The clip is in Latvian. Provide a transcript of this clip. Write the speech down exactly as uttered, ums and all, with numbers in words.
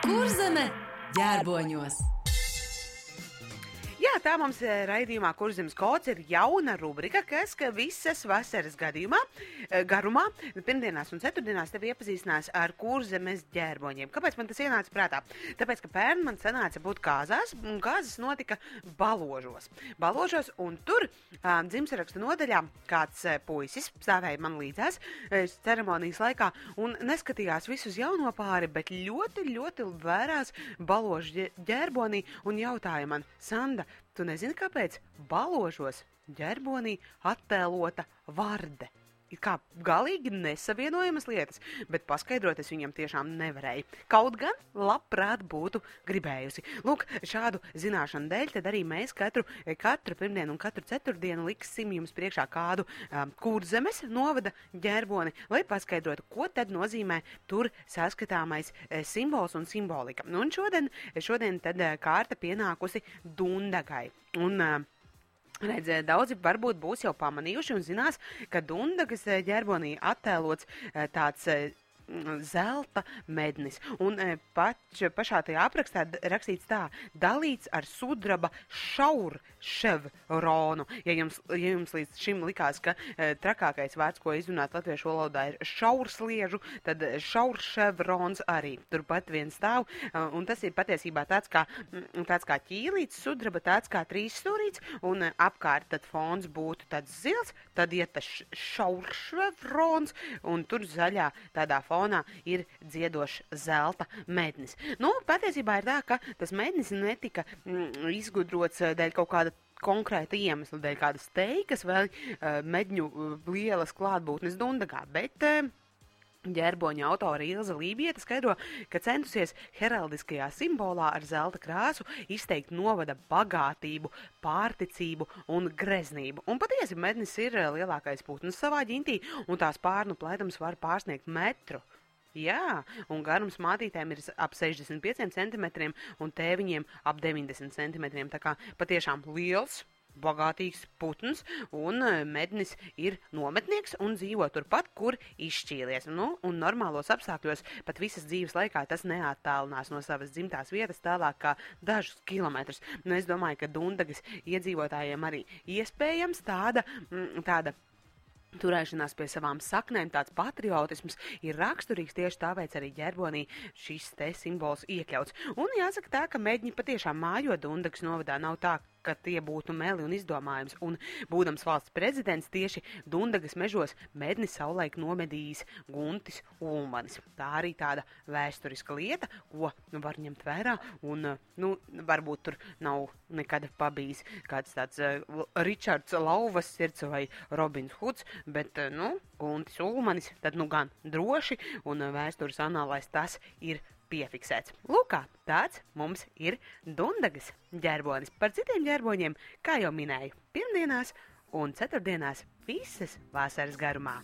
Kurzeme ģērboņos. Jā, tā mums raidījumā Kurzemes kods ir jauna rubrika, kas ka visas vasaras gadījumā, garumā, pirmdienās un ceturtdienās tevi iepazīstinās ar Kurzemes ģērboņiem. Kāpēc man tas ienāca prātā? Tāpēc, ka pērn man sanāca būt kāzās, un kāzas notika Baložos. Baložos, un tur um, dzimšanas nodaļā kāds uh, puisis stāvēja man līdzās uh, ceremonijas laikā un neskatījās visus jauno pāri, bet ļoti, ļoti vērās Baložu ģērbonī un jautāja man: Sanda, tu nezini, kāpēc Baložos ģerbonī attēlota varde? Ir kā galīgi nesavienojamas lietas, bet paskaidrot es viņam tiešām nevarēju. Kaut gan labprāt būtu gribējusi. Lūk, šādu zināšanu dēļ tad arī mēs katru, katru pirmdienu un katru ceturtdienu liksim jums priekšā kādu um, Kurzemes novada ģerboni, lai paskaidrotu, ko tad nozīmē tur saskatāmais e, simbols un simbolika. Un šodien, šodien tad e, kārta pienākusi Dundagai. Un, e, Redz, daudzi varbūt būs jau pamanījuši un zinās, ka Dundagas ģerbonī attēlots tāds zelta mednis. Un pač, pašā tajā aprakstā rakstīts tā: dalīts ar sudraba šaurševronu. Ja jums, ja jums līdz šim likās, ka e, trakākais vārds, ko izrunāt latviešu valodā, ir šaursliežu, tad šaurševrons arī turpat vien stāv. Un tas ir patiesībā tāds kā, tāds kā ķīlīts sudraba, tāds kā trīsstūrīts, un apkārt tad fons būtu tāds zils, tad iet tas šaurševrons, un tur zaļā tādā fonā fonā ir dziedošs zelta mednis. Nu, patiesībā ir tā, ka tas mednis netika mm, izgudrots dēļ kaut kāda konkrēta iemesla, dēļ kādas teikas vai uh, medņu uh, lielas klātbūtnes Dundagā, bet uh, ģērboņa autora Ilza Lībieta skaidro, ka centusies heraldiskajā simbolā ar zelta krāsu izteikt novada bagātību, pārticību un greznību. Un patiesi mednis ir lielākais putns savā ģintī, un tās pārnu plētums var pārsniegt metru. Jā, un garums mātītēm ir ap sešdesmit pieciem centimetriem un tēviņiem ap deviņdesmit centimetriem. Tā kā patiešām liels, bagātīgs putns, un mednis ir nometnieks un dzīvo turpat, kur izšķīlies. Nu, un normālos apstākļos pat visas dzīves laikā tas neattālinās no savas dzimtās vietas tālāk kā dažus kilometrus. Nu, es domāju, ka Dundagas iedzīvotājiem arī iespējams tāda, tāda turēšanās pie savām saknēm, tāds patriotisms ir raksturīgs, tieši tāpēc arī ģerbonī šis te simbols iekļauts. Un jāsaka tā, ka medņi patiešām mājo Dundagas novadā, nav tā, ka tie būtu meli un izdomājums, un būdams valsts prezidents tieši Dundagas mežos medni savulaik nomedījis Guntis Ulmanis. Tā arī tāda vēsturiska lieta, ko var ņemt vērā, un, nu, varbūt tur nav nekad pabijis kāds tāds uh, Ričards Lauvas sirds vai Robins Huds, bet, uh, nu, Guntis Ulmanis, tad, nu, gan droši, un uh, vēstures anālais tas ir piefiksēts. Lūkā, tāds mums ir Dundagas ģērbonis. Par citiem ģērboņiem, kā jau minēju, pirmdienās un ceturtdienās visas vasaras garumā.